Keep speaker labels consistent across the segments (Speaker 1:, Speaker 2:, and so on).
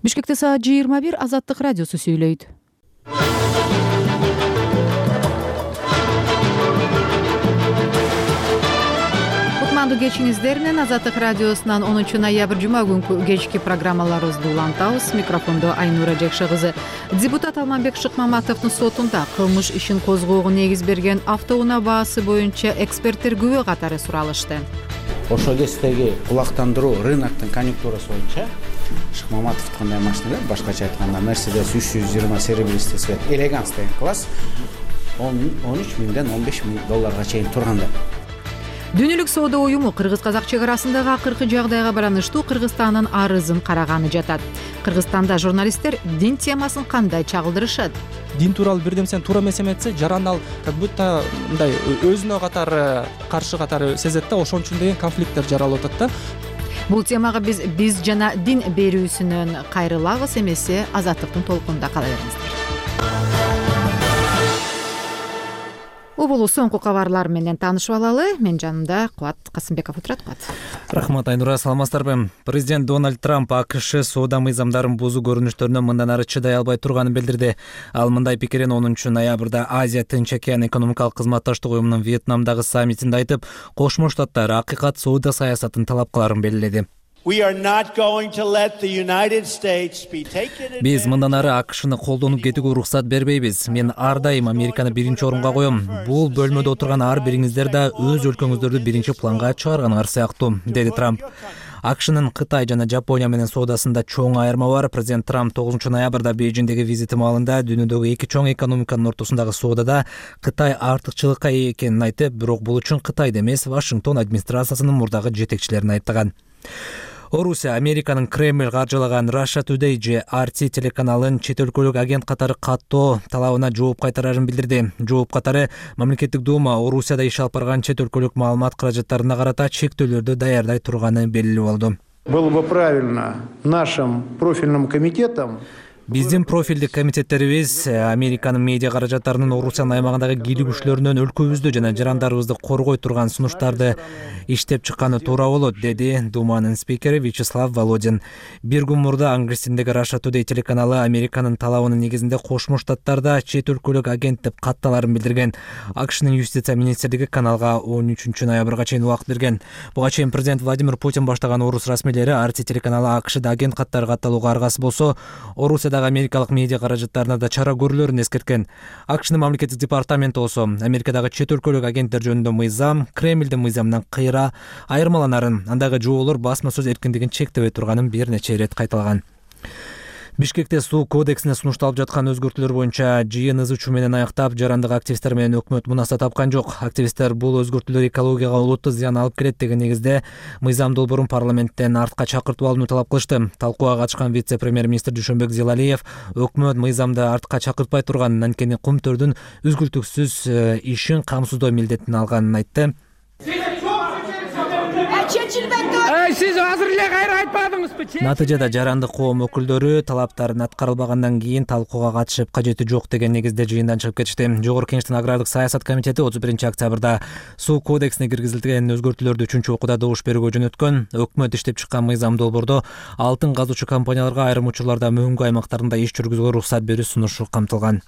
Speaker 1: Бишкекте саат 21 Азаттык радиосу сүйлөйт. Кутмандуу кечиңиздер менен Азаттык радиосунан 10 ноябрь жума күнкү кечки программаларыбызды улантабыз. Микрофондо Айнура Жекше кызы. Депутат Алманбек Шыкмаматовдун сотунда кылмыш ишин козгоого негиз берген автоунаа баасы боюнча эксперттер күбө катары суралышты.
Speaker 2: Ошол кездеги кулактандыруу рыноктун конъюнктурасы боюнча Шыкмаматовдун машиналар, башкача айтканда Mercedes 320 серебристый цвет Elegance деген класс 13 миңден 15 миң долларга чейин турганда.
Speaker 1: Дүйнөлүк соода уюму кыргыз-казак чек арасындагы акыркы жагдайга бараныштуу Кыргызстандын арызын караганы жатат. Кыргызстанда журналисттер дин темасын кандай чагылдырышат?
Speaker 3: Дин тууралуу бир нерсени туура эмес эметсе, жаран ал как будто мындай өзүнө катары каршы катары сезет да, ошон үчүн деген конфликттер жаралып атат да.
Speaker 1: Бул темага биз жана дин берүүсүнөн кайрылабыз, эмесе Азаттыктын толкунунда кала бериңиздер. Убулуу соңку кабарлар менен таанышып алалы. Мен жанымда Кубат Касымбеков отурат.
Speaker 4: Рахмат Айнура, саламатсыздарбы? Президент Дональд Трамп АКШ соода мыйзамдарын бузуу көрүнүштөрүнө мындан ары чыдай албай турганын билдирди. Ал мындай пикирин 10 ноябрда Азия Тынч океан экономикалык кызматташтык уюмунун Вьетнамдагы саммитинде айтып, Кошмо Штаттар акыйкат соода саясатын талап кыларын белгиледи. Биз мындан ары АКШны колдонуп кетүүгө уруксат бербейбиз. Мен ар дайым Американы биринчи орунга коем. Бул бөлмөдө отурган ар бириңиздер да өз өлкөңүздөрдү биринчи планга чыгарганыңар сыяктуу, деди Трамп. АКШнын Кытай жана Жапония менен соодасында чоң айырма бар. Президент Трамп 9 ноябрда Бейжиңдеги визити маалында дүйнөдөгү эки чоң экономиканын ортосундагы соодада Кытай артыкчылыкка ээ экенин айтып, бирок бул үчүн Кытайды эмес, Вашингтон администрациясынын мурдагы жетекчилерин айыптаган. Орусия Американын Кремль каржылаган Russia Today же RT телеканалын чет өлкөлүк агент катары каттоо талабына жооп кайтарарын билдирди. Жооп катары Мамлекеттик дума Орусияда иш алып барган чет өлкөлүк маалымат каражаттарына карата чектөөлөрдү даярдай турганы белгилүү болду.
Speaker 5: Было бы правильно нашим профильным комитетам
Speaker 4: Биздин профилдик комитеттерибиз Американын медиа каражаттарынын Орусиянын аймагындагы кийлүү күчлөрүнөн өлкөбүздү жана жарандарыбызды коргой турган сунуштарды иштеп чыкканы туура болот, деди Думанын спикери Вячеслав Володин. Бир күн мурда Ангрестиндеги Russia Today телеканалы Американын талабынын негизинде Кошмо Штаттарда чет өлкөлүк агент деп катталарын билдирген. АКШнын юстиция министрлиги каналга 13 ноябрга чейин убакыт берген. Буга чейин президент Владимир Путин баштаган орус расмийлери RT телеканалы АКШда агент каттары катталууга аргасы болсо, Орусияда америкалык медиа каражаттарына да чара көрүлөрүн эскерткен. АКШнын мамлекеттик департаменти болсо Америкадагы чет өлкөлүк агенттер жөнүндө мыйзам Кремлдин мыйзамынан кыйра айырмаланарын, андагы жоолор басма сөз эркиндигин чектебей турганын бир нече ирет кайталаган. Бишкекте суу кодексине сунушталып жаткан өзгөртүүлөр боюнча жыйын ыз учуу менен аяктап, жарандык активисттер менен өкмөт мунаса тапкан жок. Активисттер бул өзгөртүүлөр экологияга олуттуу зыян алып келет деген негизде мыйзам долбоорун парламенттен артка чакыртып алууну талап кылышты. Талкууга катышкан вице-премьер-министр Дүйшөнбек Зилалиев өкмөт мыйзамды артка чакыртпай турганын, анткени кум төрдүн үзгүлтүксүз ишин камсыздоо милдетин алганын айтты.
Speaker 6: Siz азыр эле кайра айтпадыңызбы?
Speaker 4: Натыйжада жарандык коом өкүлдөрү талаптарын аткарылбагандан кийин талкууга катышып кажети жок деген негизде жыйындан чыгып кетишти. Жогорку Кеңештин агрардык саясат комитети 31 октябрда суу кодексине киргизилген өзгөртүүлөрдү 3-окууда добуш берүүгө жөнөткөн. Өкмөт иштеп чыккан мыйзам долбоордо алтын казуучу компанияларга айрым учурларда мөңгү аймактарында иш жүргүзүүгө уруксат берүү сунушу камтылган.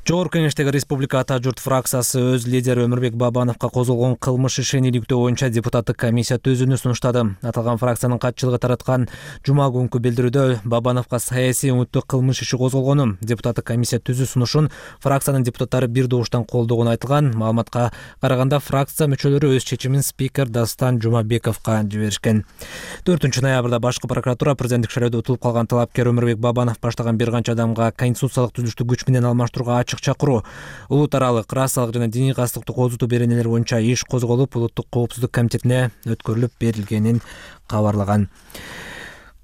Speaker 4: Жогорку Кеңештеги Республика Ата журт фракциясы өз лидери Өмүрбек Бабановго козголгон кылмыш ишин иликтөө боюнча депутаттык комиссия түзүүнү сунуштады. Аталган фракциянын катчылыгы тараткан жума күнкү билдирүүдө Бабановго саясий үмүттүү кылмыш иши козголгону, депутаттык комиссия түзүү сунушун фракциянын депутаттары бир добуштан колдогону айтылган. Маалыматка караганда фракция мүчөлөрү өз чечимин спикер Дастан Жумабековго жиберишкен. 4 ноябрда башкы прокуратура президенттик шайлоодо утулуп калган талапкер Өмүрбек Бабанов баштаган бир канча адамга конституциялык түзүлүштү күч менен алмаштырууга чакыруу, улут аралык расалык жана диний кастыктуу козутуу беренелер боюнча иш козголуп, улуттук коопсуздук комитетине өткөрүлүп берилгенин кабарлаган.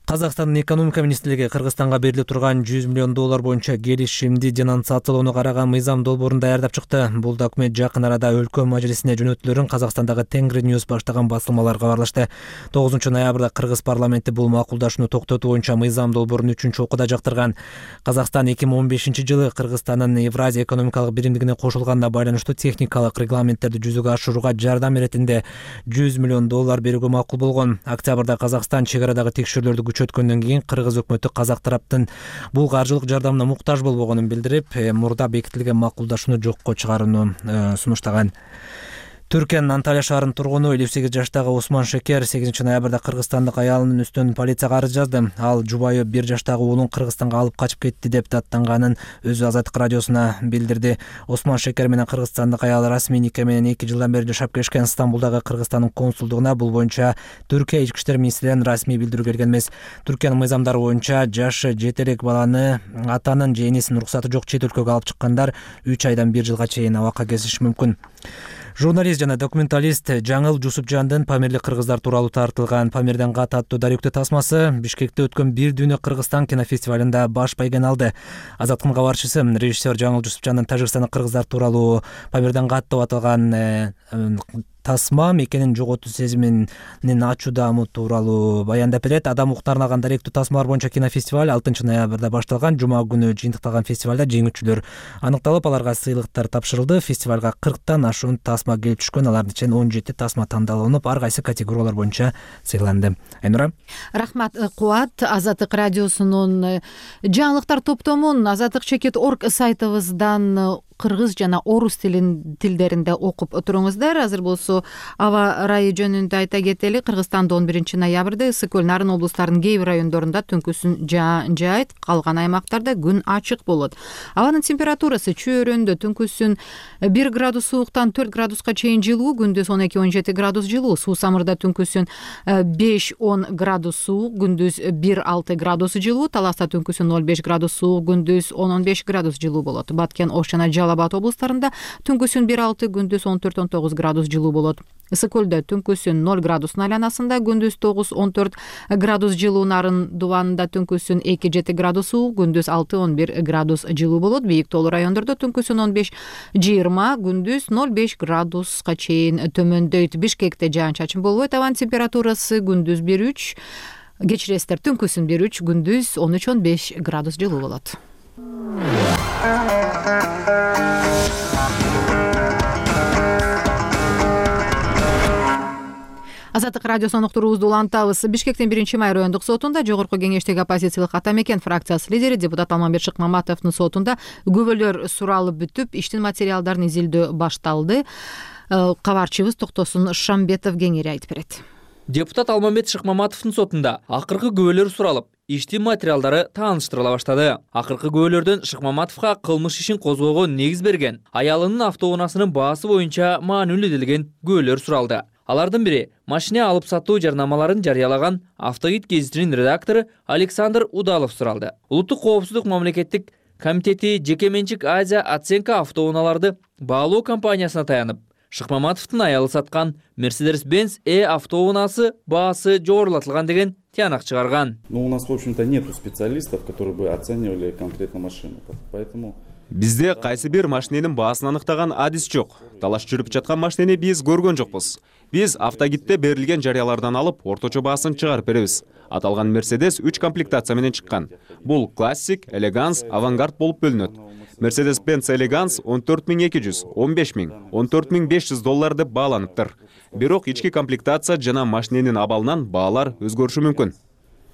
Speaker 4: Казакстандын экономика министрлиги Кыргызстанга берилип турган $100 миллион боюнча келишимди денонсациялоону караган мыйзам долбоорун даярдап чыкты. Бул документ жакын арада өлкө мажлисине жөнөтүлөрүн Казакстандагы Тенгри News баштаган басылмалар кабарлашты. 9 ноябрда Кыргыз парламенти бул макулдашууну токтотуу боюнча мыйзам долбоорун 3-окууда жактырган. Казакстан 2015-жылы Кыргызстандын Евразия экономикалык биримдигине кошулганына байланыштуу техникалык регламенттерди жүзөгө ашырууга жардам иретинде $100 миллион берүүгө макул болгон. Октябрда Казакстан чек арадагы текшерүүлөрдү күч өткөндөн кийин кыргыз өкмөтү казак тараптын бул каржылык жардамына муктаж болбогонун билдирип, мурда бекитилген макулдашууну жокко чыгарууну сунуштаган. Түркиянын Анталия шаарынын тургуну 58 жаштагы Усман Шекер 8 ноябрда кыргызстандык аялынын үстүнөн полицияга арыз жазды. Ал жубайы 1 жаштагы уулун Кыргызстанга алып качып кетти деп даттанганын өзү Азаттык радиосуна билдирди. Усман Шекер менен кыргызстандык аял расмий нике менен 2 жылдан бери жашап келишкен. Стамбулдагы Кыргызстандын консулдугуна бул боюнча Түркия ички иштер министрлигинен расмий билдирүү келген эмес. Түркиянын мыйзамдары боюнча жашы жете элек баланы атанын же энесинин уруксаты жок чет өлкөгө алып чыккандар 3 айдан 1 жылга чейин абакка kesиши мүмкүн. Журналист жана документалист Жаңыл Жусупжандын Памирлик кыргыздар тууралуу тартылган Памирден кат аттуу даректүү тасмасы Бишкекте өткөн Бир дүйнө Кыргызстан кинофестивалында баш байгени алды. Азаттыктын кабарчысы режиссер Жаңыл Жусупжандын Тажикстандык кыргыздар тууралуу Памирден кат деп аталган тасма мекенин жоготуу сезиминин ачуу даамы тууралуу баяндап берет. Адам укуктарына арналган даректүү тасмалар боюнча кинофестиваль 6 ноябрда башталган. Жума күнү жыйынтыкталган фестивалда жеңүүчүлөр аныкталып, аларга сыйлыктар тапшырылды. Фестивалга 40тан ашуун тасма келип түшкөн. Алардын ичинен 17 тасма тандалынып, ар кайсы категориялар боюнча сыйланды. Айнура.
Speaker 1: Рахмат, Кубат. Азаттык радиосунун жаңылыктар топтомун azattik.org сайтыбыздан кыргыз жана орус тилдеринде окуп туруңуздар. Азыр болсо аба ырайы жөнүндө айта кетели. Кыргызстанда 11 ноябрда ысык көл, Нарын облустарынын кээ бир райондорунда түнкүсүн жаайт, калган аймактарда күн ачык болот. Абанын температурасы чөйрөндө түнкүсүн 1 градус сууктан 4 градуска чейин жылуу, күндүз 12-17 градус жылуу. Суу самырда түнкүсүн 5-10 градус суук, күндүз 1-6 градус жылуу. Таласта түнкүсүн 0-5 градус суук, күндүз 10-15 градус жылуу болот. Баткен, Ош жана Жалал-Абад облустарында түнкүсүн 1-6, күндүз 14-19 градус жылуу болот. Ысык көлдө түнкүсүн 0 градустун айланасында, күндүз 9-14 градус жылуу. Нарын дубанында түнкүсүн 2-7 градус суук, күндүз 6-11 градус жылуу болот. Бийик тоолуу райондордо түнкүсүн 15-20, күндүз 0-5 градуска чейин төмөндөйт. Бишкекте жаан-чачын болбойт. Абанын температурасы күндүз 1-3, кечиресиздер, түнкүсүн 1-3, күндүз 13-15 градус жылуу болот. Азаттык радиосунун уктуруубузду улантабыз. Бишкектин 1-май райондук сотунда жогорку кеңештеги оппозициялык ата мекен фракциясы лидери депутат Алмамбет Шыкмаматовдун сотунда күбөлөр суралып бүтүп, иштин материалдарын изилдөө башталды. Кабарчыбыз Токтосун Шамбетов кеңири айтып берет.
Speaker 7: Депутат Алмамбет Шыкмаматовдун сотунда акыркы күбөлөр суралып, иштин материалдары тааныштырыла баштады. Акыркы күбөлөрдөн Шыкмаматовго кылмыш ишин козгоого негиз берген аялынын автоунаасынын баасы боюнча маанилүү делген күбөлөр суралды. Алардын бири машина алып сатуу жарнамаларын жарыялаган Автогид гезитинин редактору Александр Удалов суралды. Улуттук коопсуздук мамлекеттик комитети жеке менчик Азия оценка автоунааларды баалоо компаниясына таянып, Шыкмаматовдун аялы саткан Mercedes-Benz автоунаасы баасы жогорулатылган деген тыянак чыгарган.
Speaker 8: У нас, в общем-то, нету специалистов, которые бы оценивали конкретно машину. Поэтому
Speaker 9: бизде кайсы бир машиненин баасын аныктаган адис жок. Талаш жүрүп жаткан машинени биз көргөн жокпуз. Биз Автогидте берилген жарыялардан алып, орточо баасын чыгарып беребиз. Аталган Mercedes 3 комплектация менен чыккан. Бул классик, элеганс, авангард болуп бөлүнөт. Mercedes-Benz Elegance 14200, 15000, 14500 доллар деп бааланыптыр. Бирок ички комплектация жана машиненин абалынан баалар өзгөрүшү мүмкүн.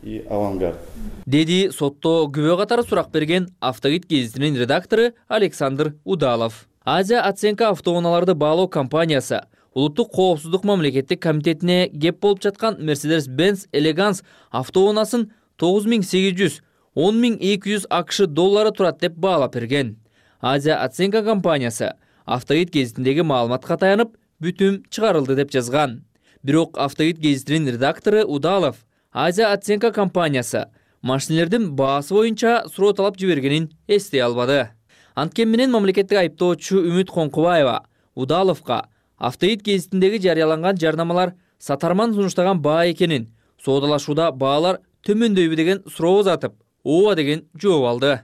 Speaker 8: И авангард.
Speaker 7: Деди сотто күбө катары сурак берген Автогид гезитинин редактору Александр Удалов. Азия оценка автоунааларды баалоо компаниясы Улуттук коопсуздук мамлекеттик комитетине кеп болуп жаткан Mercedes-Benz Elegance автоунаасын 9800, 10200 АКШ доллары турат деп баалап берген. Азия оценка компаниясы Автогид гезитиндеги маалыматка таянып, бүтүм чыгарылды деп жазган. Бирок Автогид гезитинин редактору Удалов Азия оценка компаниясы машинелердин баасы боюнча суроо талап жибергенин эстей албады. Анткени менен мамлекеттик айыптоочу Үмүт Коңкубаева Удаловго Автогид гезитиндеги жарыяланган жарнамалар сатарман сунуштаган баа экенин, соодалашууда баалар төмөндөйбү деген суроо узатып, ооба деген жооп алды.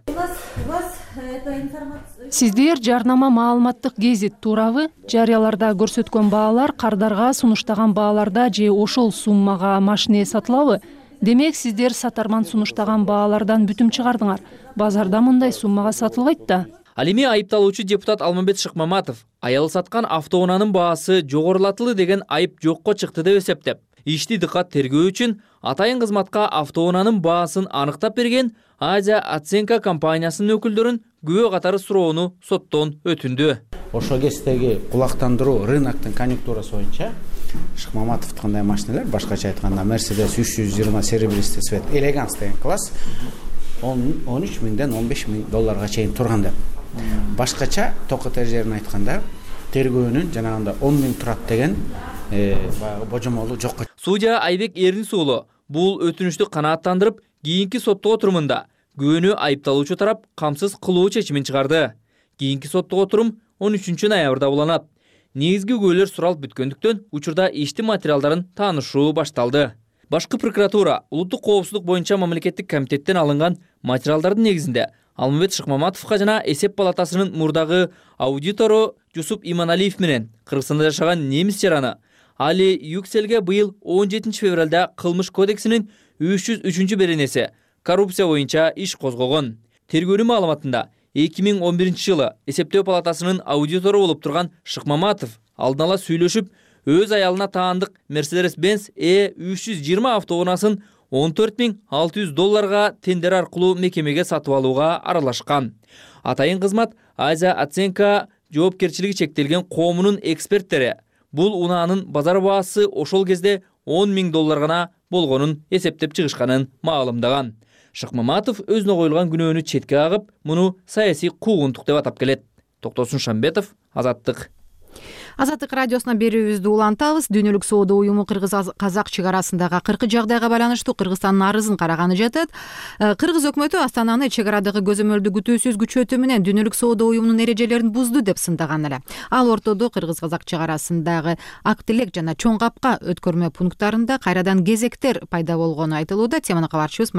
Speaker 10: Сиздер жарнама маалыматтык гезит туурабы? Жарыяларда көрсөткөн баалар кардарга сунуштаган бааларда же ошол суммага машине сатылабы? Демек сиздер сатарман сунуштаган баалардан бүтүм чыгардыңар. Базарда мындай суммага сатылбайт да.
Speaker 7: Ал эми айыпталуучу депутат Алмамбет Шыкмаматов аялы саткан автоунаанын баасы жогорулатылды деген айып жокко чыкты деп эсептеп, Ишти дыккат тергөө үчүн атайын кызматка автоунаанын баасын аныктап берген Азия оценка компаниясынын өкүлдөрүн күбө катары суроону соттон өтүндү.
Speaker 2: Ошол кездеги кулактандыруу рыноктун конъюнктурасы боюнча Шыкмаматовдукундай машиналар, башкача айтканда Mercedes 320 серебристый цвет Elegance деген класс 13 миңден 15 миң долларга чейин турган деп. Башкача токот эрежелерин айтканда тергөөнүн жанагында 10 миң турат деген баягы божомолу жокко.
Speaker 7: Судья Айбек Эрнис уулу бул өтүнүштү канааттандырып, кийинки соттук отурумунда күбөнү айыпталуучу тарап камсыз кылуу чечимин чыгарды. Кийинки соттук отурум 13 ноябрда уланат. Негизги күбөлөр суралып бүткөндүктөн учурда иштин материалдарын таанышуу башталды. Башкы прокуратура улуттук коопсуздук боюнча мамлекеттик комитеттен алынган материалдардын негизинде Алмамбет Шыкмаматовго жана эсеп палатасынын мурдагы аудитору Жусуп Иманалиев менен Кыргызстанда жашаган немис жараны Али Юкселге быйыл 17 февралда кылмыш кодексинин 303 беренеси коррупция боюнча иш козгогон. Тергөөнүн маалыматында 2011 жылы эсептөө палатасынын аудитору болуп турган Шыкмаматов алдын ала сүйлөшүп, өз аялына таандык Mercedes-Benz E320 автоунаасын 14.600 долларга тендер аркылуу мекемеге сатып алууга аралашкан. Атайын кызмат Азия оценка жоопкерчилиги чектелген коомунун эксперттери бул унаанын базар баасы ошол кезде 10 миң доллар гана болгонун эсептеп чыгышканын маалымдаган. Шыкмаматов өзүнө коюлган күнөөнү четке кагып, муну саясий куугунтук деп атап келет. Токтосун Шамбетов, Азаттык.
Speaker 1: Азаттык радиосуна берүүбүздү улантабыз. Дүйнөлүк соода уюму Кыргыз-Казак чек арасындагы акыркы жагдайга байланыштуу Кыргызстандын арызын караганы жатат. Кыргыз өкмөтү Астананы чек арадагы көзөмөлдү күтүүсүз күчөтүү менен дүйнөлүк соода уюмунун эрежелерин бузду деп сындаган эле. Ал ортодо Кыргыз-Казак чек арасындагы Актилек жана Чоң Капка өткөрмө пункттарында кайрадан кезектер пайда болгону айтылууда. Теманы кабарчыбыз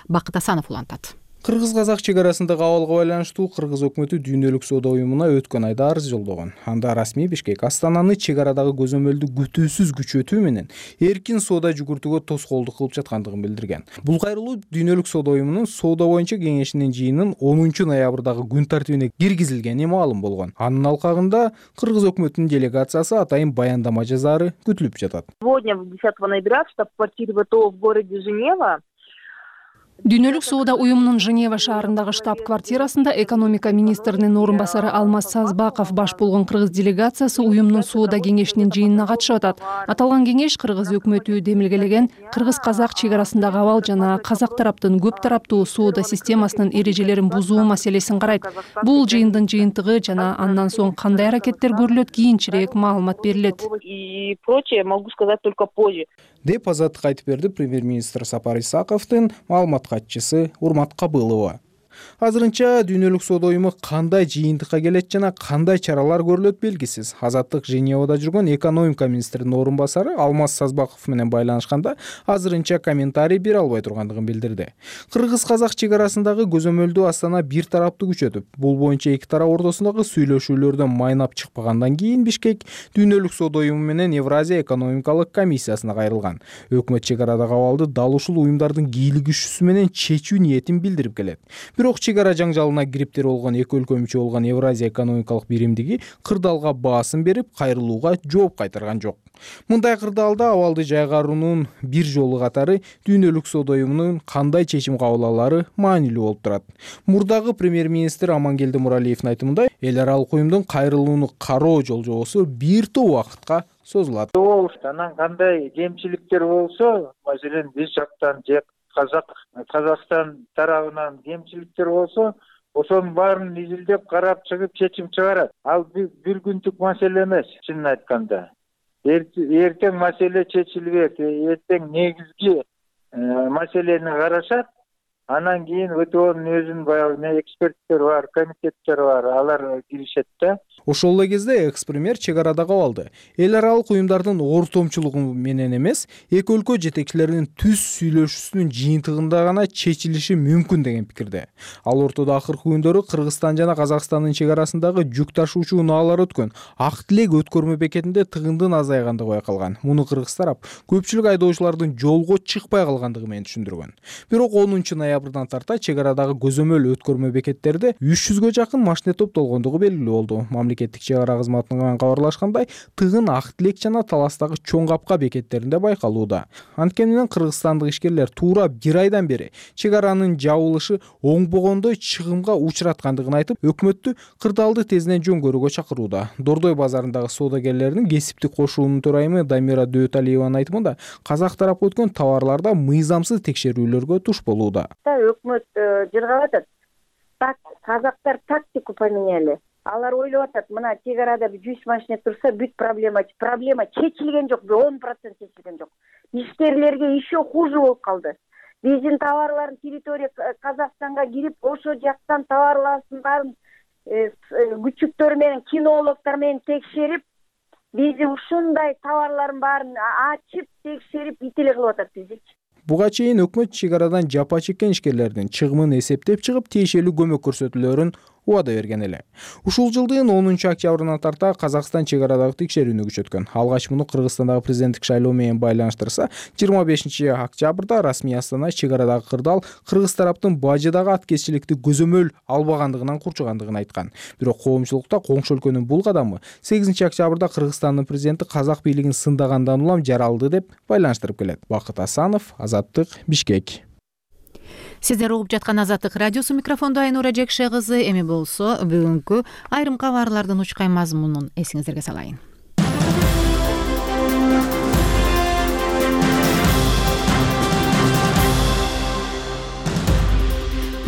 Speaker 1: Бакыт Асанов улантат.
Speaker 11: Кыргыз-Казак чек арасындагы абалга байланыштуу Кыргыз өкмөтү дүйнөлүк соода уюмуна өткөн айда арыз жолдогон. Анда расмий Бишкек Астананы чек арадагы көзөмөлдү күтүүсүз күчөтүү менен эркин соода жүгүртүүгө тоскоолдук кылып жаткандыгын билдирген. Бул кайрылуу дүйнөлүк соода уюмунун соода боюнча кеңешинин жыйынын 10 ноябрдагы күн тартибине киргизилгени маалым болгон. Анын алкагында Кыргыз өкмөтүнүн делегациясы атайын баяндама жазаары күтүлүп жатат.
Speaker 12: Сегодня 10 ноября в штаб-квартире ВТО в городе Женева
Speaker 10: Дүйнөлүк соода уюмунун Женева шаарындагы штаб-квартирасында экономика министринин орун басары Алмаз Сазбаков баш болгон кыргыз делегациясы уюмдун соода кеңешинин жыйынына катышып атат. Аталган кеңеш Кыргыз өкмөтү демилгелеген Кыргыз-Казак чек арасындагы абал жана казак тараптын көп тараптуу соода системасынын эрежелерин бузуу маселесин карайт. Бул жыйындын жыйынтыгы жана андан соң кандай аракеттер көрүлөт кийинчерээк маалымат берилет.
Speaker 12: И прочее могу сказать только позже.
Speaker 11: Деп Азаттыкка айтып берди премьер-министр Сапар Исаковдун маалымат катчысы Урмат Кабылова. Азырынча дүйнөлүк соода уюму кандай жыйынтыкка келет жана кандай чаралар көрүлөт белгисиз. Азаттык Женевада жүргөн экономика министринин орун басары Алмаз Сазбаков менен байланышканда азырынча комментарий бере албай тургандыгын билдирди. Кыргыз-Казак чек арасындагы көзөмөлдү Астана бир тараптуу күчөтүп, бул боюнча эки тарап ортосундагы сүйлөшүүлөрдөн майнап чыкпагандан кийин Бишкек дүйнөлүк соода уюму менен Евразия экономикалык комиссиясына кайрылган. Өкмөт чек арадагы абалды дал ушул уюмдардын кийлик күчүсү менен чечүү ниетин билдирип келет. Бирок чек ара жаңжалына кириптер болгон эки өлкө мүчө болгон Евразия экономикалык биримдиги кырдаалга баасын берип, кайрылууга жооп кайтарган жок. Мындай кырдаалда абалды жайгаруунун бир жолу катары дүйнөлүк соода уюмунун кандай чечим кабыл алары маанилүү болуп турат. Мурдагы премьер-министр Амангелди Муралиевдин айтымында, эл аралык уюмдун кайрылууну кароо жолжобосу бир топ убакытка созулат.
Speaker 13: Анан кандай кемчиликтер болсо, маселен биз жактан же Казакстан тарабынан кемчиликтер болсо, ошонун баарын изилдеп карап чыгып чечим чыгарат. Ал бир күндүк маселе эмес, чынын айтканда. Эртең маселе чечилбек, эртең негизги маселени карашат. Анан кийин ВТОнун өзүнүн баягы эксперттер бар, комитеттер бар, алар киришет да.
Speaker 11: Ошол эле кезде экс-премьер чек арадагы абалды эл аралык уюмдардын ортомчулугу менен эмес, эки өлкө жетекчилеринин түз сүйлөшүүсүнүн жыйынтыгында гана чечилиши мүмкүн деген пикирде. Ал ортодо акыркы күндөрү Кыргызстан жана Казакстандын чек арасындагы жүк ташуучу унаалар өткөн Актилек өткөрмө бекетинде тыгындын азайгандыгы байкалган. Муну кыргыз тарап көпчүлүк айдоочулардын жолго чыкпай калгандыгы менен түшүндүргөн. Бирок 10 ноябрда октябрдан тарта чек арадагы көзөмөл өткөрмө бекеттерде 300гө жакын машине топтолгондугу белгилүү болду. Мамлекеттик чек ара кызматынан кабарлашкандай, тыгын Ак Тилек жана Таластагы Чоң Капка бекеттеринде байкалууда. Анткени менен кыргызстандык ишкерлер туура 1 айдан бери чек аранын жабылышы оңбогондой чыгымга учураткандыгын айтып, өкмөттү кырдаалды тезинен жөн көрүүгө чакырууда. Дордой базарындагы соодагерлердин кесиптик кошуунун төрайымы Дамира Дөталиеванын айтымында, казак тарапы өткөн товарларда мыйзамсыз текшерүүлөргө туш болууда.
Speaker 14: Өкмөт жыргап атат. Так, казактар тактику поменяли. Алар ойлоп атат, мына чек арада 100 машина турса, бүт проблема чечилген жок, 10% чечилген жок. Ишкерлерге еще хуже болуп калды. Биздин товарларын территория Казакстанга кирип, ошо жактан товарларын баарын күчүктөр менен, кинологдор менен текшерип, биздин ушундай товарларын баарын ачып, текшерип, ителе кылып атат бизди.
Speaker 11: Буга чейин өкмөт чек арадан жапа чеккен ишкерлердин чыгымын эсептеп чыгып, тиешелүү көмөк көрсөтүүлөрүн убада берген эле. Ушул жылдын 10 октябрынан тарта Казакстан чек арадагы текшерүүнү күчөткөн. Алгач муну Кыргызстандагы президенттик шайлоо менен байланыштырса, 25 октябрда расмий Астана чек арадагы кырдаал кыргыз тараптын бажыдагы аткезчиликти көзөмөл албагандыгынан курчугандыгын айткан. Бирок коомчулукта коңшу өлкөнүн бул кадамы 8 октябрда Кыргызстандын президенти казак бийлигин сындагандан улам жаралды деп байланыштырып келет. Бакыт Асанов, Азаттык, Бишкек.
Speaker 1: Сиздер угуп жаткан Азаттык радиосу, микрофондо Айнура Жекше кызы. Эми болсо бүгүнкү айрым кабарлардын учкай мазмунун эсиңиздерге салайын.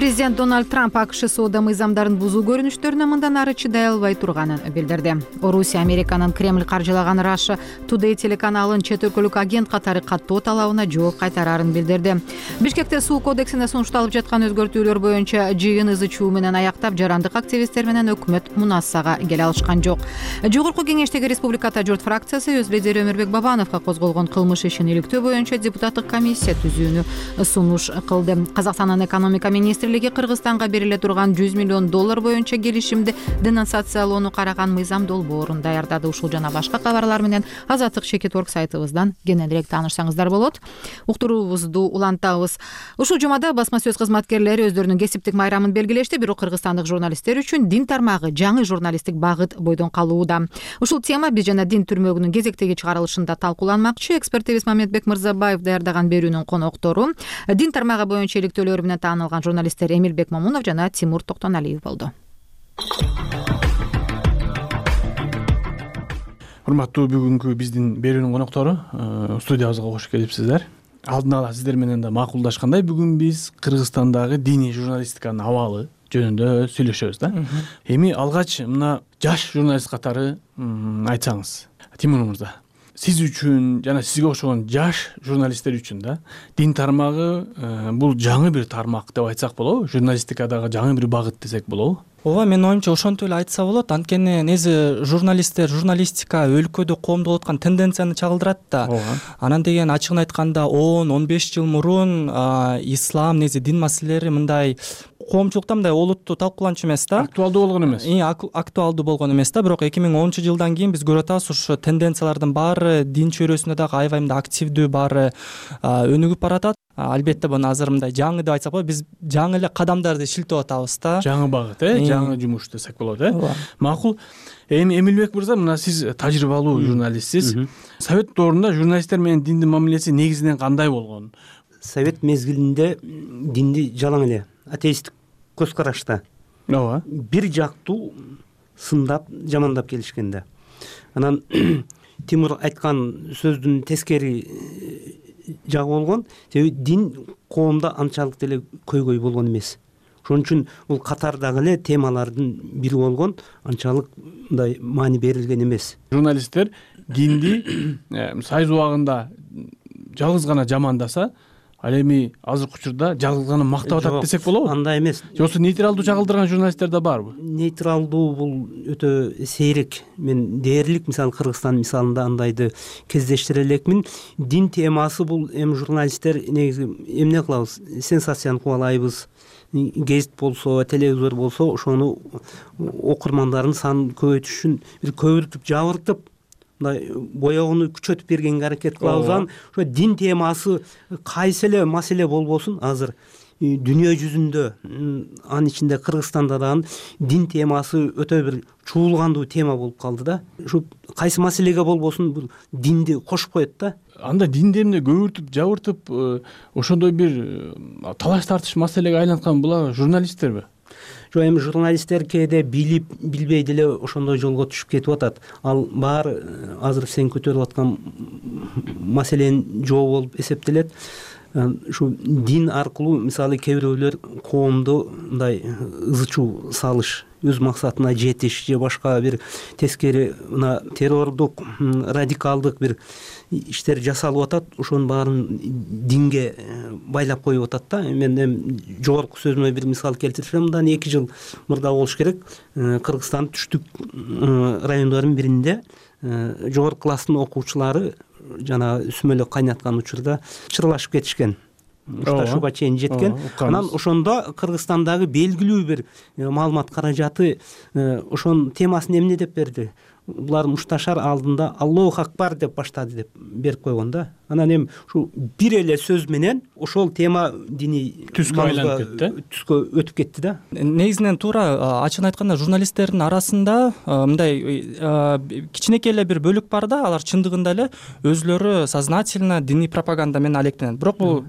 Speaker 1: Президент Дональд Трамп АКШ соода мыйзамдарын бузуу көрүнүштөрүнө мындан ары чыдай албай турганын билдирди. Орусия Американын Кремль каржылаган Russia Today телеканалын чет өлкөлүк агент катары каттоо талабына жооп кайтарарын билдирди. Бишкекте суу кодексине сунушталып жаткан өзгөртүүлөр боюнча жыйын ызы чуу менен аяктап, жарандык активисттер менен өкмөт мунассага келе алышкан жок. Жогорку кеңештеги Республиката журт фракциясы өз лидери Өмүрбек Бабановго козголгон кылмыш ишин иликтөө боюнча депутаттык комиссия түзүүнү сунуш кылды. Казакстандын экономика министрлиги Кыргызстанга бериле турган $100 миллион боюнча келишимди денонсациялоону караган мыйзам долбоорун даярдады. Ушул жана башка кабарлар менен Азаттык Шекет.org сайтыбыздан кененирээк таанышсаңыздар болот. Уктуруубузду улантабыз. Ушул жумада басма сөз кызматкерлери өздөрүнүн кесиптик майрамын белгилешти, бирок кыргызстандык журналисттер үчүн дин тармагы жаңы журналисттик багыт бойдон калууда. Ушул тема биз жана дин түрмөгүнүн кезектеги чыгарылышында талкууланмакчы. Эксперт Мамедбек Мырзабаев даярдаган берүүнүн коноктору дин тармагы боюнча иликтөөлөр менен таанылган журналисттер Эмилбек Момунов жана Тимур Токтоналиев болду.
Speaker 15: Урматтуу бүгүнкү биздин берүүнүн коноктору студиябызга кош келипсиздер. Алдын ала сиздер менен да макулдашкандай, бүгүн биз Кыргызстандагы диний журналистиканын абалы жөнүндө сүйлөшөбүз да. Эми алгач мына жаш журналист катары айтсаңыз, Тимур мырза, сиз үчүн жана сизге окшогон жаш журналисттер үчүн да дин тармагы бул жаңы бир тармак деп айтсак болобу? Журналистикадагы жаңы бир багыт десек болобу?
Speaker 3: Ооба, менин оюмча ошентип эле айтса болот. Анткени негизи журналистика өлкөдө коомдо болуп аткан тенденцияны чагылдырат да. Анан деген ачыгын айтканда 10-15 жыл мурун ислам, негизи дин маселелери мындай коомчулукта мындай олуттуу талкууланчу эмес да.
Speaker 15: Актуалдуу болгон эмес.
Speaker 3: Актуалдуу болгон эмес да, бирок 2010-жылдан кийин биз көрүп атабыз, ушу тенденциялардын баары дин чөйрөсүндө дагы аябай мындай активдүү, баары өнүгүп баратат. Албетте буну азыр мындай жаңы деп айтсак болот, биз жаңы эле кадамдарды шилтеп атабыз да.
Speaker 15: Жаңы багыт, жаңы жумуш десек болот, Макул. Эми Эмилбек мырза, мына сиз тажрыйбалуу журналистсиз. Совет доорунда журналисттер менен диндин мамилеси негизинен кандай болгон?
Speaker 16: Совет мезгилинде динди жалаң эле атеисттик көз карашта.
Speaker 15: Ооба.
Speaker 16: Бир жактуу сындап, жамандап келишкен да. Анан Тимур айткан сөздүн тескери жагы болгон, себеби дин коомдо анчалык деле көйгөй болгон эмес. Ошон үчүн бул катардагы эле темалардын бири болгон, анчалык мындай маани берилген эмес.
Speaker 15: Журналисттер динди сайыз убагында жалгыз гана жамандаса, ал эми азыркы учурда жалгыз гана мактап атат десек болобу?
Speaker 16: Андай эмес.
Speaker 15: Жоксу нейтралдуу чагылдырган журналисттер да барбы?
Speaker 16: Нейтралдуу бул өтө сейрек. Мен дээрлик, мисалы Кыргызстан мисалында андайды кездештире элекмин. Дин темасы бул эми журналисттер негизи эмне кылабыз? Сенсацияны кубалайбыз. Гезит болсо, телевизор болсо, ошону окурмандардын санын көбөйтүш үчүн бир көбүртүп, жабыртып, мындай боёгуну күчөтүп бергенге аракет кылабыз. Ошо дин темасы кайсы эле маселе болбосун, азыр дүйнө жүзүндө анын ичинде Кыргызстанда дагы дин темасы өтө бир чуулгандуу тема болуп калды да. Ушу кайсы маселеге болбосун бул динди кошуп коет да.
Speaker 15: Анда динди эмне көбүртүп жабыртып ошондой бир талаш тартыш маселеге айланткан булар журналисттерби?
Speaker 16: Жок, эми журналисттер кээде билип билбей деле ошондой жолго түшүп кетип атат. Ал баары азыр сен көтөрүп аткан маселенин жообу болуп эсептелет. Ушу дин аркылуу мисалы кээ бирөөлөр коомду мындай ызы чуу салыш, өз максатына жетиш же башка бир тескери мына террордук, радикалдык бир иштер жасалып атат. Ошонун баарын динге байлап коюп атат да. Мен жогорку сөзүмө бир мисал келтирсем, мындан 2 жыл мурда болуш керек. Кыргызстандын түштүк райондорунун биринде жогорку класстын окуучулары жана сүмөлөк кайнаткан учурда чырлашып кетишкен. Мушташууга чейин жеткен. Анан ошондо Кыргызстандагы белгилүү бир маалымат каражаты ошонун темасын эмне деп берди? Булар мушташар алдында Аллаху акбар деп баштады деп берип койгон да. Анан эми ушу бир эле сөз менен ошол тема дини
Speaker 15: түскө айланып кетти,
Speaker 16: түскө өтүп кетти да.
Speaker 3: Негизинен туура ачыгын айтканда журналисттердин арасында мындай кичинекей эле бир бөлүк бар да, алар чындыгында эле өзүлөрү сознательно дини пропаганда менен алектенет. Бирок бул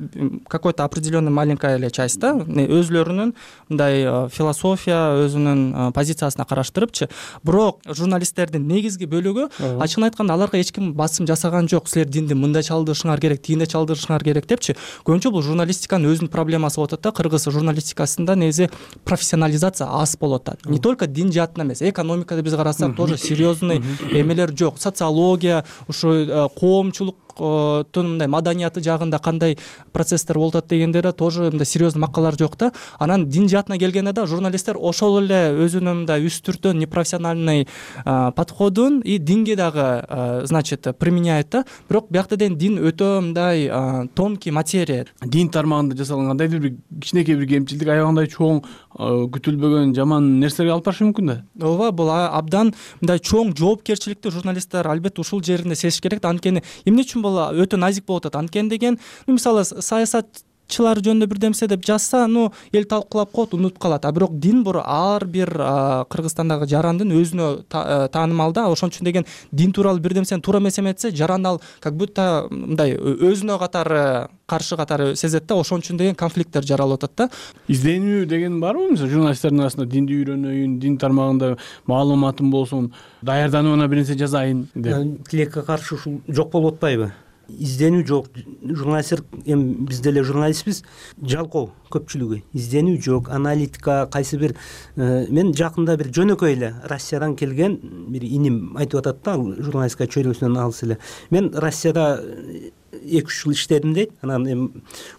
Speaker 3: какой-то определенный маленькая эле часть да, өзүлөрүнүн мындай философия, өзүнүн позициясына караштырыпчы. Бирок журналисттердин негизги бөлүгү ачыгын айтканда аларга эч ким басым жасаган жок. Силер динди мындай чалдырышыңар керек, тигиндей чалдырышыңар керек депчи. Көбүнчө бул журналистиканын өзүнүн проблемасы болуп атат да. Кыргыз журналистикасында негизи профессионализация аз болуп атат. Не только дин жаатынан эмес, экономикада биз карасак тоже серьезный эмелер жок. Социология, ушу коомчулук мындай маданияты жагында кандай процесстер болуп атат дегендер тоже мындай серьезный макалалар жок да. Анан дин жаатына келгенде да журналисттер ошол эле өзүнүн мындай үстүртөн непрофессиональный подходун и динге дагы значит применяет да. Бирок биякта деген дин өтө мындай тонкий материя.
Speaker 15: Дин тармагында жасалган кандайдыр бир кичинекей бир кемчилдик аябагандай чоң күтүлбөгөн жаман нерселерге алып барышы мүмкүн да.
Speaker 3: Ооба, бул абдан мындай чоң жоопкерчиликти журналисттер албетте ушул жеринде сезиш керек да. Анткени эмне үчүн өтө назик болуп атат? Анткени деген мисалы саясатчылар жөнүндө бир нерсе деп жазса, эл талкуулап коет, унутуп калат. А бирок дин ар бир Кыргызстандагы жарандын өзүнө таанымал да. Ошон үчүн деген дин тууралуу бир нерсени туура эмес эметсе, жаран ал как будто мындай өзүнө катары каршы катары сезет да. Ошон үчүн деген конфликттер жаралып атат да.
Speaker 15: Изденүү деген барбы? Мисалы журналисттердин арасында динди үйрөнөйүн, дин тармагында маалыматым болсун, даярданууна бир нерсе жазайын деп.
Speaker 16: Тилекке каршы ушул жок болуп атпайбы? Изденүү жок. Журналисттер, эми биз деле журналистпиз, жалкоо көпчүлүгү. Изденүү жок, аналитика, кайсы бир мен жакында бир жөнөкөй эле Россиядан келген бир иним айтып атат да, журналистика чөйрөсүнөн алыс эле. Мен Россияда 2-3 жыл иштедим дейт. Анан эми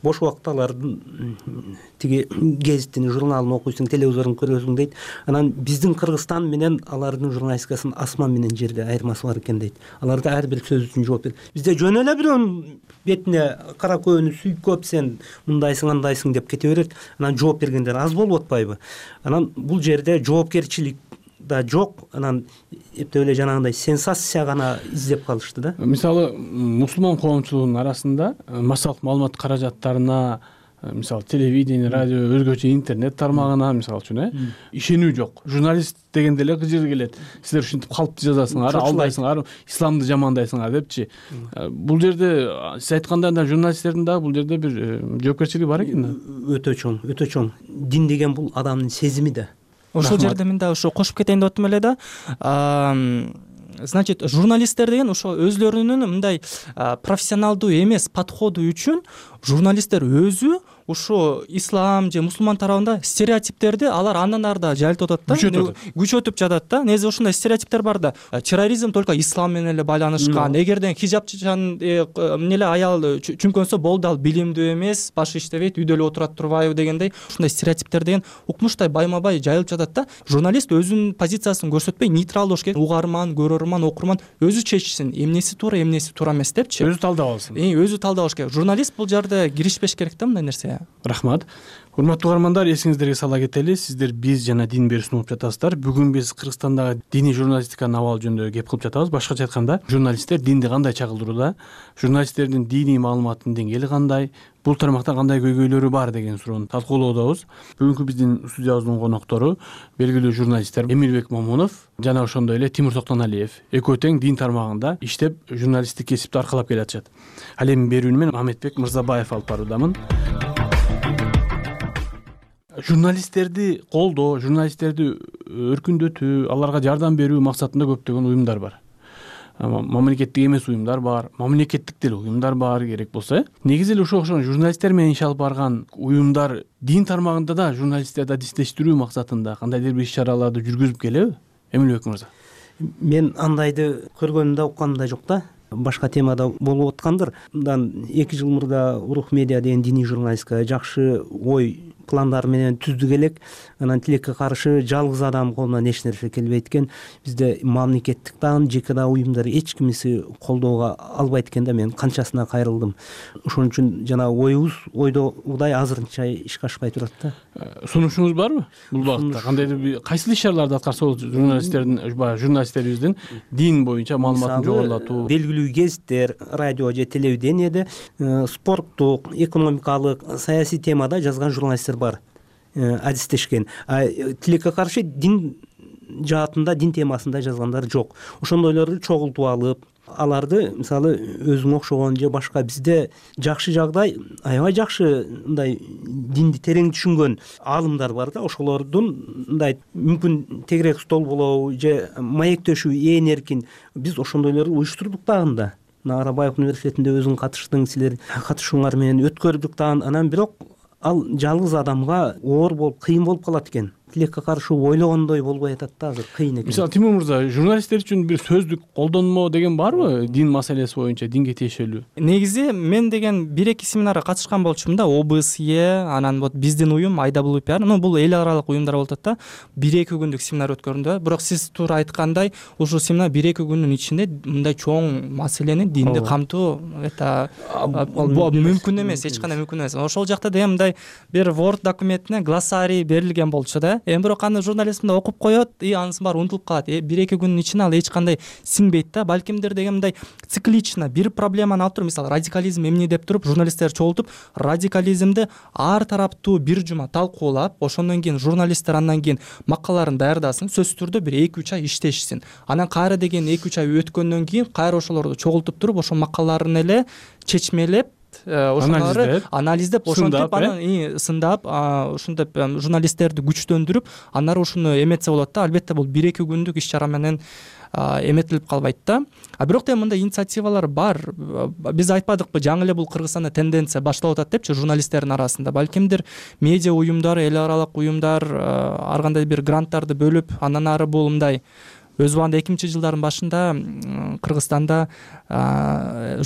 Speaker 16: бош убакытта алардын тиги гезитин, журналын окуйсуң, телевизорун көрөсүң дейт. Анан биздин Кыргызстан менен алардын журналистикасынын асман менен жерде айырмасы бар экен дейт. Аларда ар бир сөз үчүн жооп берет. Бизде жөн эле бирөөнүн бетине кара көөнү сүйкөп сен мындайсың, андайсың деп кете берет. Анан жооп бергендер аз болуп атпайбы? Анан бул жерде жоопкерчилик да жок. Анан эптеп эле жанагындай сенсация гана издеп калышты да.
Speaker 15: Мисалы мусулман коомчулугунун арасында массалык маалымат каражаттарына, мисалы телевидение, радио, өзгөчө интернет тармагына мисалы үчүн ишенүү жок. Журналист дегенде эле кыжыр келет. Силер ушинтип калпты жазасыңар, алдайсыңар, исламды жамандайсыңар депчи. Бул жерде сиз айткандай журналисттердин дагы бул жерде бир жоопкерчилиги бар экен да.
Speaker 16: Өтө чоң, өтө чоң. Дин деген бул адамдын сезими да.
Speaker 3: Ошол жерде мен дагы ушу кошуп кетейин деп аттым эле да. Значит, журналисттер деген ошо өзлөрүнүн мындай профессионалдуу эмес подходу үчүн журналисттер өзү ушу ислам же мусулман тарабында стереотиптерди алар андан ары да жайылтып атат да, күчөтүп жатат да. Негизи ушундай стереотиптер бар да. Терроризм только ислам менен эле байланышкан. Эгерден хижабчан эмнеле аял чүңкөнсө болду, ал билимдүү эмес, башы иштебейт, үйдө эле отурат турбайбы дегендей ушундай стереотиптер деген укмуштай байма-бай жайылып жатат да. Журналист өзүнүн позициясын көрсөтпөй нейтрал болуш керек. Угарман, көрөрман, окурман өзү чечсин, эмнеси туура, эмнеси туура эмес депчи.
Speaker 15: Өзү талдап алсын.
Speaker 3: Өзү талдабаш керек. Журналист бул жерде киришпеш керек да мындай нерсеге.
Speaker 15: Рахмат. Урматтуу угармандар, эсиңиздерге сала кетели, сиздер биз жана дин берүүсүн угуп жатасыздар. Бүгүн биз Кыргызстандагы диний журналистиканын абалы жөнүндө кеп кылып жатабыз. Башкача айтканда, журналисттер динди кандай чагылдырууда, журналисттердин диний маалыматтын деңгээли кандай, бул тармакта кандай көйгөйлөрү бар деген суроону талкуулоодобуз. Бүгүнкү биздин студиябыздын коноктору белгилүү журналисттер Эмилбек Момунов жана ошондой эле Тимур Токтоналиев. Экөө тең дин тармагында иштеп, журналисттик кесипти аркалап келатышат. Ал эми берүүнү мен Мамедбек Мырзабаев алып баруудамын. Журналисттерди колдоо, журналисттерди өркүндөтүү, аларга жардам берүү максатында көптөгөн уюмдар бар. Мамлекеттик эмес уюмдар бар, мамлекеттик деле уюмдар бар керек болсо. Негизи эле ошол журналисттер менен иш алып барган уюмдар дин тармагында да журналисттерди адистештирүү максатында кандайдыр бир иш-чараларды жүргүзүп келеби? Эмилбек мырза.
Speaker 16: Мен андайды көргөнүм да укканым да жок да. Башка темада болуп аткандыр. Мындан 2 жыл мурда Урух медиа деген диний журналистика жакшы ой пландар менен түздүк элек. Анан тилекке каршы жалгыз адам колунан эч нерсе келбейт экен. Бизде мамлекеттик дагы жеке да уюмдар эч кимиси колдоого албайт экен да. Мен канчасына кайрылдым. Ошон үчүн жана ойдогудай азырынча ишке ашпай турат да.
Speaker 15: Сунушуңуз барбы бул багытта? Кандайдыр бир кайсыл иш-чараларды аткарса болот журналисттерибиздин дин боюнча маалыматын жогорулатуу?
Speaker 16: Белгилүү гезиттер, радио же телевидениеде спорттук, экономикалык, саясий темада жазган журналисттер бар, адистешкен. Тилекке каршы дин жаатында, дин темасында жазгандар жок. Ошондойлорду чогултуп алып, аларды мисалы өзүңө окшогон же башка бизде жакшы жагдай, аябай жакшы мындай динди терең түшүнгөн аалымдар бар да, ошолордун мындай мүмкүн тегерек стол болобу же маектешүү ээн эркин биз ошондойлорду уюштурдук дагы. Арабаев университетинде өзүң катыштың, силер катышууңар менен өткөрдүк дагы. Анан бирок ал жалгыз адамга оор болуп, кыйын болуп калат экен. Тилекке каршы ойлогондой болбой атат да, азыр кыйын экен.
Speaker 15: Мисалы Тимур мырза, журналисттер үчүн бир сөздүк колдонмо деген барбы? Дин маселеси боюнча, динге тиешелүү.
Speaker 3: Негизи мен деген 1-2 семинарга катышкан болчумун да, ОБСЕ, анан вот биздин уюм IWPR, бул эл аралык уюмдар болуп атат да. 1-2 күндүк семинар өткөрдүм да. Бирок сиз туура айткандай, ушул семинар 1-2 күндүн ичинде мындай чоң маселени динди камтоо мүмкүн эмес, эч кандай мүмкүн эмес. Ошол жакта деген мындай бир Word документине глоссарий берилген болчу да. Бирок аны журналист мындай окуп коет, анысы баары унутулуп калат. 1-2 күндүн ичинде ал эч кандай сиңбейт да. Балкимдир деген мындай циклично бир проблеманы алып туруп, мисалы радикализм эмне деп туруп, журналисттер чогултуп, радикализмди ар тараптуу бир жума талкуулап, ошондон кийин журналисттер андан кийин макалаларын даярдасын, сөзсүз түрдө бир 2-3 ай иштешсин. Анан кайра деген 2-3 ай өткөндөн кийин кайра ошолорду чогултуп туруп, ошол макалаларын эле чечмелеп, ошолорду анализдеп, ошентип анан сындап, ушинтип журналисттерди күчтөндүрүп, анары ушуну эметсе болот да. Албетте бул 1-2 күндүк иш-чара менен эметилип калбайт да. Бирок да мындай инициативалар бар. Биз айтпадыкпы, жаңы эле бул Кыргызстанда тенденция башталып атат депчи журналисттердин арасында. Балкимдир медиа уюмдар, эл аралык уюмдар ар кандай бир гранттарды бөлүп, андан ары бул мындай өз убагында 2000-жылдардын башында Кыргызстанда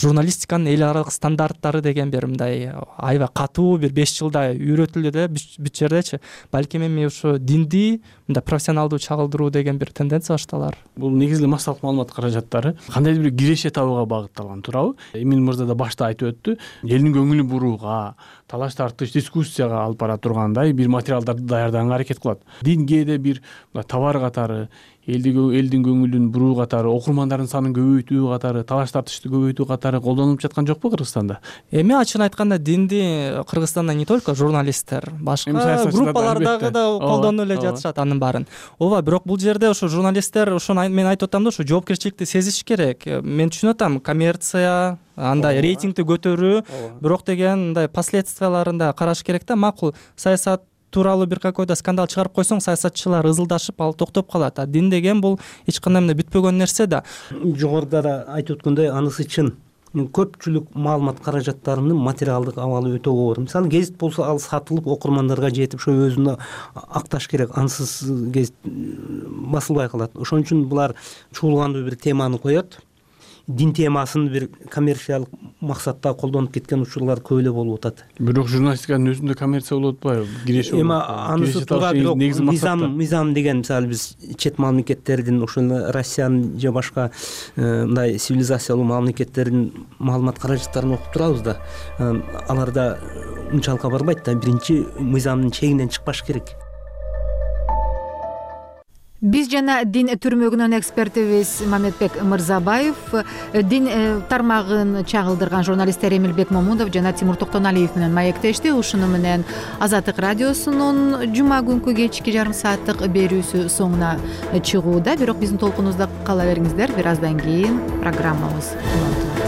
Speaker 3: журналистиканын эл аралык стандарттары деген бир мындай аябай катуу бир 5 жылда үйрөтүлдү да бүт жердечи. Балким эми ушу динди мындай профессионалдуу чагылдыруу деген бир тенденция башталар.
Speaker 15: Бул негизги массалык маалымат каражаттары кандайдыр бир киреше табууга багытталган, туурабы? Эмил мырза да башта айтып өттү. Элдин көңүлүн бурууга, талаш тартыш, дискуссияга алып бара тургандай бир материалдарды даярдаганга аракет кылат. Дин кээде бир товар катары, элдин көңүлүн буруу катары, окурмандардын санын көбөйтүү катары, талаш тартышты көбөйтүү катары колдонулуп жаткан жокпу Кыргызстанда?
Speaker 3: Эми ачыгын айтканда динди Кыргызстанда не только журналисттер, башка группалардагы да колдонуп эле жатышат анын баарын. Ооба, бирок бул жерде ошо журналисттер, ошону мен айтып атам да, ошо жоопкерчиликти сезиш керек. Мен түшүнүп атам, коммерция, андай рейтингди көтөрүү, бирок деген мындай последствияларын караш керек да. Макул саясат тууралуу бир какой-то скандал чыгарып койсоң, саясатчылар ызылдашып, ал токтоп калат. Дин деген бул эч кандай мындай бүтпөгөн нерсе да.
Speaker 16: Жогоруда да айтып өткөндөй, анысы чын. Көпчүлүк маалымат каражаттарынын материалдык абалы өтө оор. Мисалы гезит болсо, ал сатылып окурмандарга жетип, ошо өзүнө акташ керек. Ансыз гезит басылбай калат. Ошон үчүн булар чуулгандуу бир теманы коет. Дин темасын бир коммерциялык максатта колдонуп кеткен учурлар көп эле болуп атат.
Speaker 15: Бирок журналистиканын өзүндө коммерция болуп атпайбы? Киреше болуп.
Speaker 16: Эми анысы туура, бирок мыйзам деген, мисалы биз чет мамлекеттердин, ошол Россиянын же башка мындай цивилизациялуу мамлекеттердин маалымат каражаттарын окуп турабыз да. Аларда унчалыкка барбайт да. Биринчи мыйзамдын чегинен чыкпаш керек.
Speaker 1: Биз жана дин түрмөгүнөн экспертибиз Мамедбек Мырзабаев, дин тармагын чагылдырган журналисттер Эмилбек Момунов жана Тимур Токтоналиев менен маектешти. Ушуну менен Азаттык радиосунун жума күнкү кечки жарым сааттык берүүсү соңуна чыгууда. Бирок биздин толкунубузда кала бериңиздер. Бир аздан кийин программабыз улантылат.